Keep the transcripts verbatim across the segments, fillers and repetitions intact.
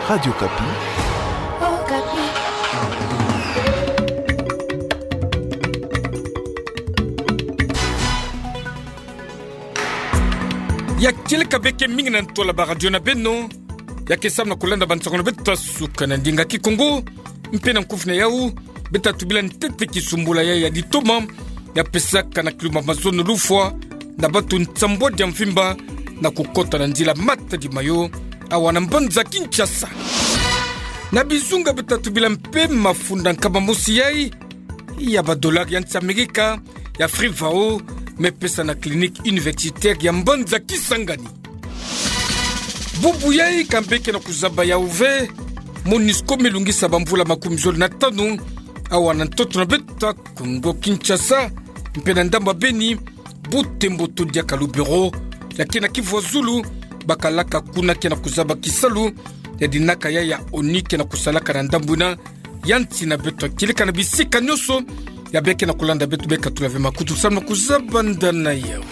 Radio Okapi. Ya kieleka beke mingi na ntwala ba radio na beno, ya ke samu na kulanda bansango na beto ya suka na ndinga Kikongo, mpe na nkufi na yau, beta tubila ntete kisumbula ya, ya ditoma, ya pesaka na kilumbu ya mazono lufwa na batu nsambwadi ya mvimba, na kukota na nzila Matadi Mayo, awa na mbanza Kinshasa. Na bizunga beta tubila mpe mafunda nkama mosi yai, ya ba dollar ya nsi Amerika, ya Frivao, me pesa na clinique universitaire ya mbanza Kisangani. Bubu yai ka mbe ke na kuzaba yau ve, MONUSCO me lungisa bamvula makumi zole na tanu, awa na ntoto na beto ya Kongo Kinshasa, mpe na ndamba Beni, Butembo to diaka Lubero, ya ke na Kivu ya Zulu, bakalaka kuna ke na kuzaba kisalu, ya dinaka ya ya ONU ke na kusalaka na ndambu ina, ya nsi na beto ya kieleka na bisika nyonso, ya beke na kulanda beto beka tula ve makutu samu na kuzaba ndana yau.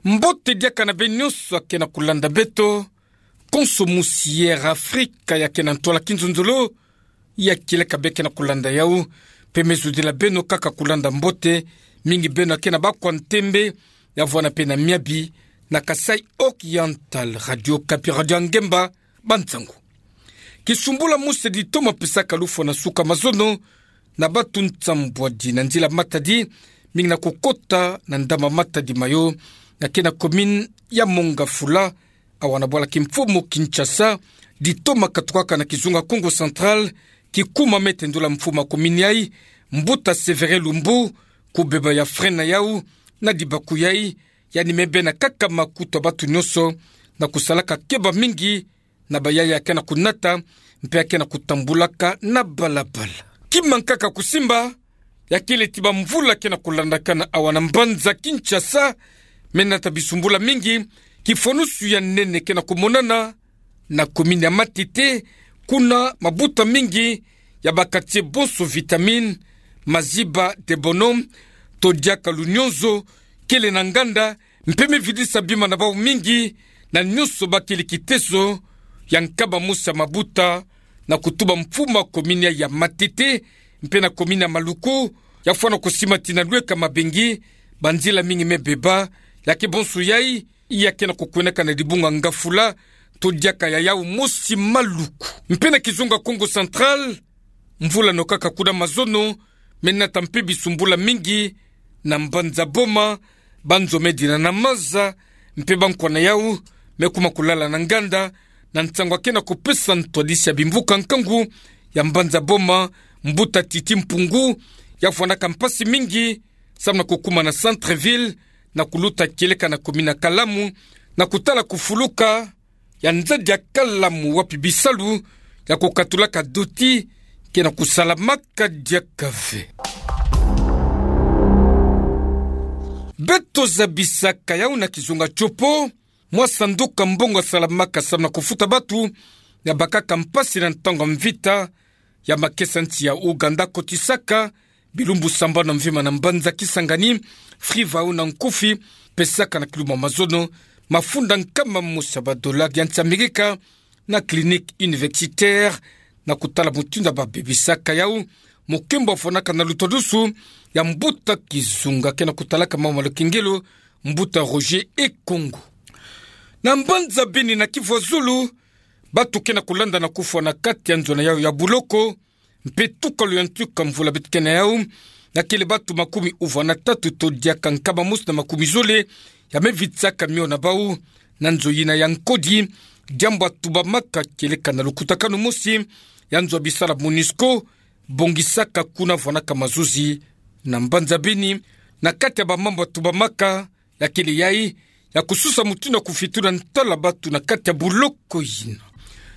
Mbote diaka na beno nyonso ya ke na kulanda beto, konso mosi Air Africa ya ke na ntwala kinzonzolo, ya kieleka beke na kulanda yau, mpe me zudila beno kaka kulanda mbote, mingi beno ya ke na bakwa ntembe, ya vwanda mpe na miabi, na Kasaï Oriental, Radio Okapi, radio ya ngemba, bansango. Kisumbula mosi ditoma pesaka lufwa na suka mazono, na batu nsambwadi na nzila Matadi, mingi na kukota na ndamba Matadi Mayo, ya ke na commune ya Mont-Ngafula, awa na bwala kimfumu Kinshasa, ditoma katukaka na kizunga Kongo Central, kikuma me tendula mfumu ya commune yai, Mbuta Sévérin Lumbu, kubeba ya frein na yau, na dibaku yai, yandi me bena kaka makutu ya batu nyonso, na kusalaka keba mingi, na bayaya ya ke na kunata, mpe ya ke na kutambulaka na balabala. Kima nkaka kusimba, ya kele ti bamvula ke na kulandakana awa na mbanza Kinshasa, me nata bisumbula mingi, kifwanusu ya nene ke na kumonana, na commune ya Matete, kuna mabuta mingi, ya ba quartier bonso Vitamine, Maziba, Debono, to diaka Lunyonzo, kele na nganda, mpe me vidisa bima na bau mingi, na nyonso bakele kiteso, ya nkama mosi ya mabuta, na kutuba mfumu ya commune ya Matete, mpe na commune ya Maluku, ya fwana kusimba tii na lweka mabengi, banzila mingi me beba, ya ke bonso yai, ya ke na kukwenaka na dibunga Ngafula, to diaka ya yau mosi Maluku. Mpe na kizunga Kongo Central, mvula no kaka kuna mazono, me nata mpe bisumbula mingi, na mbanza Boma, banzo me dina na maza, mpe bankwa na yau, me kuma kulala na nganda, na nsango ya ke na kupesa ntwadisi ya bimvuka nkangu, ya mbanza Boma, Mbuta Titi Mpungu, ya fwanaka mpasi mingi, samu na kukuma na centre-ville, na kuluta kieleka na commune ya Kalamu, na kutala kufuluka, ya nzadi ya Kalamu wapi bisalu ya kukatulaka doti ke na kusalamaka diaka ve. Beto zabisaka yau na kizunga Tshopo, mwa sanduku ya mbongo ya salamaka samu na kufuta batu ya bakaka mpasi na ntangu ya mvita, ya makesa nsi ya Ouganda kotisaka bilumbu sambanu ya mvimba na mbanza Kisangani, Frivao na nkufi, pesaka na kilumbu ya mazono, mafunda nkama mosi ya ba dollar ya nsi Amerika, na clinique universitaire, na kutala mutindu babebisaka yau, mokembo afwanaka na lutwadusu ya mbuta kizunga ke na kutalaka mambu ya lukengelo, Mbuta Roger Ekongo. Na mbanza Beni na Kivu ya Zulu, batu ke na kulanda na kufwa na kati ya nzo na yau ya buloko, mpe tukalu ya ntuka mvula beto ke na yau, na kele batu makumi uvana tatu to diaka nkama mosi na makumi zole, ya me vitisaka mio na bau, na nzo yina ya nkodi, diambu ya tubamaka kieleka na lukutakanu mosi, ya nzo ya bisala MONUSCO, bongisaka kuna vwanaka mazuzi, na mbanza Beni, na kati ya bamambu ya tubamaka, ya kele yai, ya kususa mutindu ya kufitula ntala batu na kati ya buloko yina.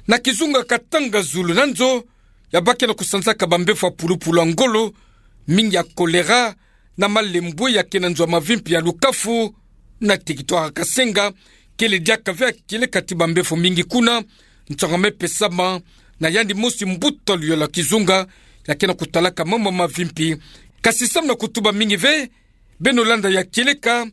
Na kizunga Katanga zulu na nzo, ya bake na kusanzaka bambevo ya pulupulu ya ngolo, mingi ya choléra, na malembwe ya ke na nzo ya mavimpi ya Lukafu, na territoire ya Kasenga, kele diaka ve ya kieleka ti bambevo mingi kuna, nsangu ya me pesama, na yandi mosi mbuta luyolo ya kizunga, ya ke na kutalaka mambu ya mavimpi. Kasi samu na kutuba mingi ve, beno landa ya kieleka,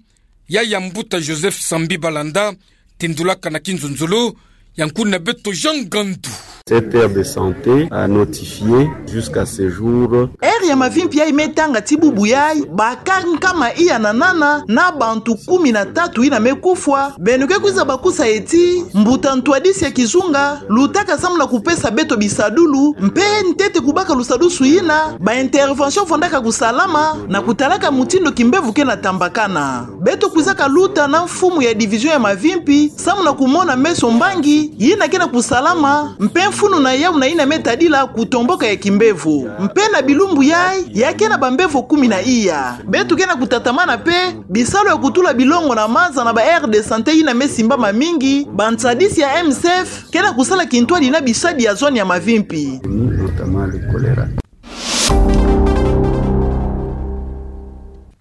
Ya ya mbuta Joseph Sambi Balanda, tindulaka na kinzonzolo ya nkuna beto Jean Gandu. Cette aire de santé a notifié jusqu'à ce jour. Aire ya mavimpi yayi me tanga ti bubu yayi, bakari nkama iya na nana na bantu kumi na tatu yina me kufwa. Beno ke kwiza bakusa ye ti mbuta ntwadisi ya kizunga lutaka samu na kupesa beto bisadulu, mpe ntete kubaka lusadusu yina, ba intervention vandaka kusalama, na kutalaka mutindu kimbevo ke na tambakana. Beto kwizaka luta na mfumu ya division ya mavimpi, samu na kumona meso mbangi yina ke na kusalama, mpe mfunu na yawu na yina me tadila kutomboka ya kimbevo. Mpe na bilumbu yayi, ya ke na bambevo kumi na iya. Beto ke na kutatamana mpe bisalu ya kutula bilongo na maza na ba aire de santé yina me simbama mingi, bansadisi ya M S F ke na kusala kintwadi na bisadi ya zone ya mavimpi. Notamment le choléra.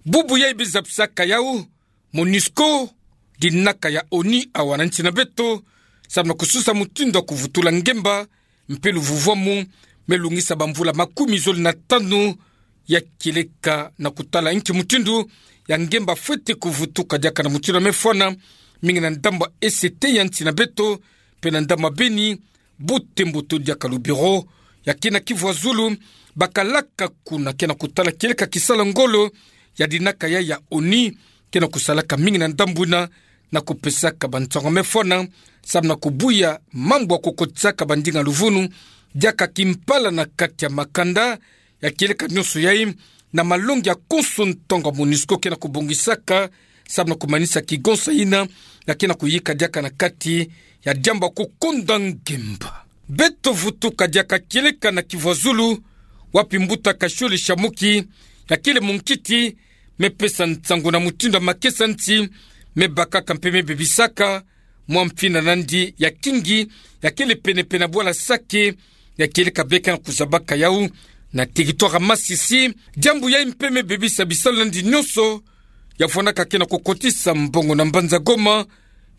Bubu yayi biza bisaka yawu, MONUSCO, dinaka ya ONU awa na nsi na beto, samu na kususa mutindu ya kuvutula ngemba, mpe luvuvwamu me lungisa bamvula makumi zole na tanu, ya kieleka na kutala nki mutindu ya ngemba fwete kuvutuka diaka na mutindu ya me fwana, mingi na ndambu ya ese ya nsi na beto, mpe na ndambu ya Beni, bu tembo to diaka lubiro ya kina kivwazulu, bakalaka kuna ke na kutala kieleka kisala ngolo ya dinaka yayi ya ONU ke na kusalaka mingi na ndambu yina, na kupesaka bansangu ya me fwana, samu na kubuya mambu ya kukotisaka bandinga luvunu diaka kimpala na kati ya makanda, ya kieleka nyonso yayi, na malongi ya konso ntangu MONUSCO ke na kubongisaka, samu na kumanisa kigonsa yina ya ke na kuyika diaka na kati ya diambu ya kukonda ngemba. Beto vutuka diaka kieleka na kivwazulu, wapi mbuta Kashole Shamuki, ya kele munkiti, me pesa nsangu na mutindu ya makesa nsi me bakaka mpe me bebisaka mwa mfina nandi ya kingi, ya kele penepene na bwala Sake, ya kieleka be ke na kuzabaka yawu na territoire ya Masisi. Diambu yayi mpe me bebisa bisalu nandi nyonso ya fwanaka ke na kukotisa mbongo na mbanza Goma,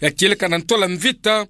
ya kieleka na ntwala mvita,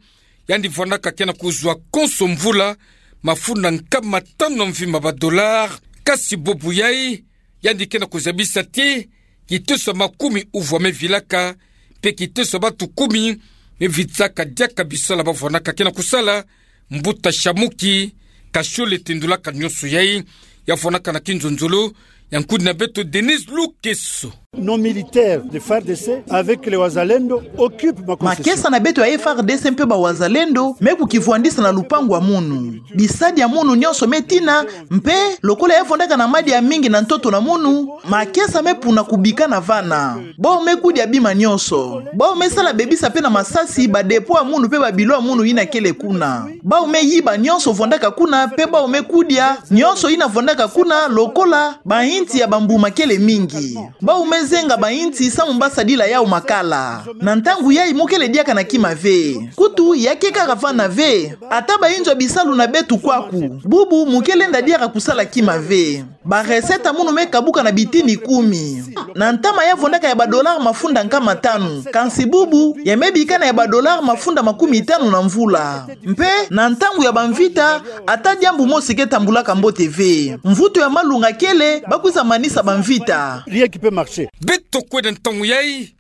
yandi fwanaka ke na kuzwa konso mvula mafunda nkama tanu na mvimba ba dollars. Kasi bubu yayi, yandi ke na kuzabisa ti kiteso ya makumi uvwa me vilaka, mpe kiteso ya bantu kumi me vitsaka diaka bisalu ba fwanaka ke na kusala. Mbuta Shamuki, Kashole tindulaka nyonso yayi, ya fwanaka na kinzonzolo ya nkudi na beto Denise Lukeso. Nos militaires de F A R D C avec les Wazalendo occupent ma concession. Makesa na beto ya F A R D C mpe ba Wazalendo me kukivwandisa na lupangu ya munu. Bisadi ya munu nyonso me tina, mpe lokola ya fondaka na madi ya mingi na ntoto na munu, makesa me puna kubika na vana. Bawu me kudia bima nyonso. Bawu me sala bebisa mpe na masasi ba dépôt ya munu mpe ba bilo ya munu yina kele kuna. Bawu me yiba nyonso fondaka kuna, mpe bawu me kudia nyonso yina fondaka kuna, lokola bainti ya bambuma kele mingi. Bawu me zenga bainti samu ba sadila yawu makala. Na ntangu yayi mu kele diaka na kima ve. Kutu ya ke kaka vana ve. Ata bainzo ya bisalu na beto kwaku, bubu mu ke lenda diaka kusala kima ve. Ba recette ya munu me kabuka na bitini kumi. Na ntama ya fondaka ya ba dollars mafunda nkama tanu, kansi bubu ya me bika na ya ba dollars mafunda makumi tanu na mvula. Mpe na ntangu ya bamvita, ata diambu mosi ke tambulaka mbote ve. Mvutu ya malunga kele, ba kwiza manisa bamvita. Rien qui peut marcher. Beto kwenda ntangu yayi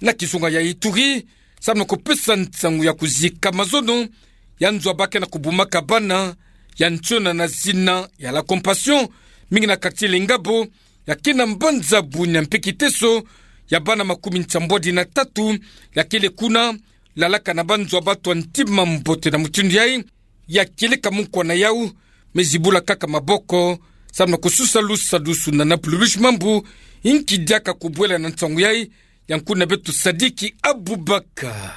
na kizunga ya Ituri, samu na kupesa nsangu ya kuzika mazono ya nzo ba ke na kubumaka bana ya nsiona na zina ya La Compassion, mingi na quartier Lengabo, ya ke na mbanza Bunia, mpe kiteso ya bana makumi nsambwadi na tatu ya kele kuna, lalaka na banzo ya bato ya ntima mbote na mutindu yayi, ya kieleka mukwa na yawu me zibula kaka maboko, samu na kususa lusadusu na Naplulush Mambu, inki diaka kubwela na nsangu yayi, ya nkuna beto Sadiki Abubakar.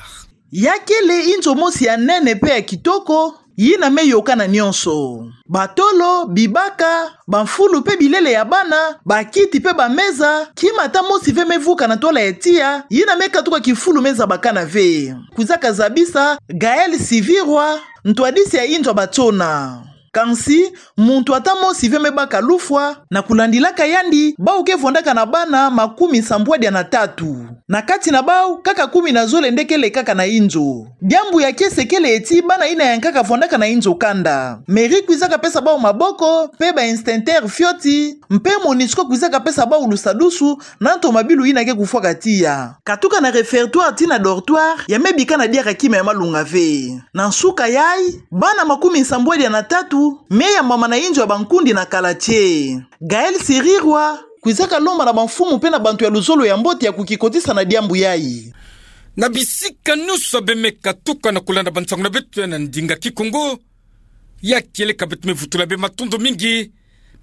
Ya kele inzo mosi ya nene mpe ya kitoko, yina me yokana nyonso. Batolo, bibaka, bamfulu mpe bilele ya bana, bakiti mpe bameza, kima ata mosi ve me vuka na ntwala ya tiya, yina me katuka kifulu me zabakana ve. Kwizaka zabisa Gaël Sivirwa, ntwadisi ya inzo ya batsona. Kansi, muntu ata mosi ve me baka lufwa, na kulandilaka yandi, bau ke vwandaka na bana makumi nsambwadia na tatu. Na kati na bau, kaka kumi na zole nde kele kaka na inzo. Diambu ya kiese kele ti bana ina yankaka vwandaka na inzo kanda. Mairie kwizaka pesa bau maboko, mpe ba instincteurs fioti, mpe Monusco kwizaka pesa bau lusadusu, na nto mabi luyina ke kufwaka tiya. Katuka na réfectoire tii na dortoir, ya me bika na diaka kima ya malunga ve. Na nsuka yayi, bana makumi nsambwadia na tatu, me yambama na inzo ya bankundi na kala tie. Gaël Sirirwa, kwizaka lomba na bamfumu mpe na bantu ya luzolo ya mbote ya kukikotisa na diambu yayi. Na bisika nyonso beno me katuka na kulanda bansangu na beto ya na ndinga Kikongo, ya kieleka beto me vutula beno matondo mingi.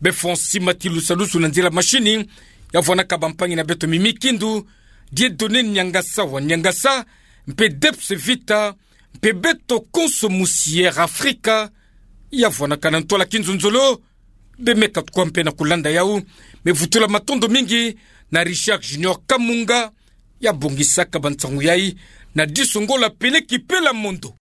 Beno fwa nsi mati lusadusu na nzila mashini, ya vwanaka bampangi na beto Mimi Kindu, Dieudonné Niangasa wa Niangasa, mpe Debs Vita, mpe beto konso musi Air Afrika, ya vwanaka na ntwala kinzonzolo. Beno me katuka mpe na kulanda yau, me vutula matondo mingi na Richard Junior Kamunga, ya bongisaka bansangu yayi, na Disongola Peleki Pela Mondo.